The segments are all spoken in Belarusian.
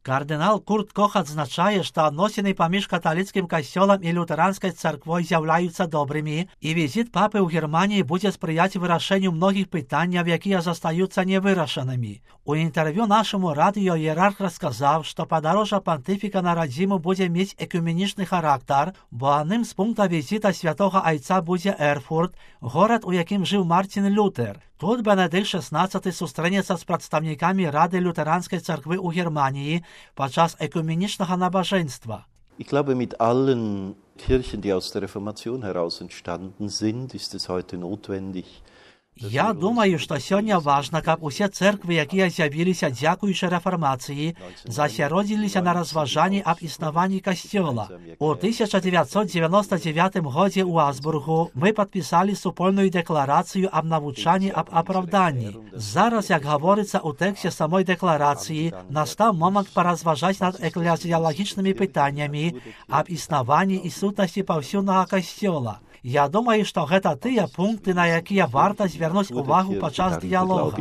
Кардинал Курт Кох адзначае, што адносіны паміж каталіцкім касцёлам і лютэранскай царквой з'яўляюцца добрымі, і візіт папы ў Германії будзе спрыяць вырашэнню многіх пытанняў, якія застаюцца невырашанымі. У інтэрв'ю нашаму радыё іерарх расказаў, што падарожжа пантыфіка на радзіму будзе мець экуменічны характар, бо адным з пунктаў візіта святога айца будзе Эрфурт, горад, у якім жыў Мартин Лютер. Тут Бенедикт XVI сустрэнецца з прадстаўнікамі Рады лютэранскай царквы ў Германії падчас экуменічнага набажэнства. Ich glaube, mit allen Kirchen, die aus der Reformation heraus entstanden sind, ist es heute notwendig. Я думаю, што сёння важна, каб усе цэрквы, якія з'явіліся дзякуючы рэфармацыі, засяродзіліся на разважанні аб існаванні касцёла. У 1999 годзе ў Азбургу мы падпісалі супольную дэкларацыю аб навучанні аб апраўданні. Зараз, як гаворыцца ў тэксце самой дэкларацыі, настаў момант паразважаць над эклезіялагічнымі пытаннямі аб існаванні і сутнасці паўсюднага касцёла. Я думаю, што гэта тыя пункты, на якія варта звярнуць увагу падчас дыялога.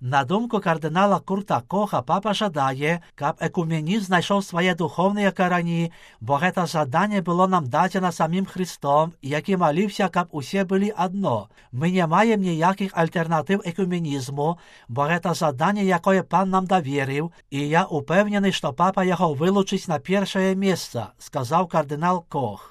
На думку кардынала Курта Коха, папа жадае, каб экуменізм знайшоў свае духоўныя карані, бо гэта жаданне было нам дадзена самім Христом, які маліўся, каб усе былі адно. Мы не маем ніякіх альтэрнатыў экуменізму, бо гэта жаданне, якое пан нам даверыў, і я упэўнены, што папа яго вылучыць на першае месца, сказаў кардынал Кох.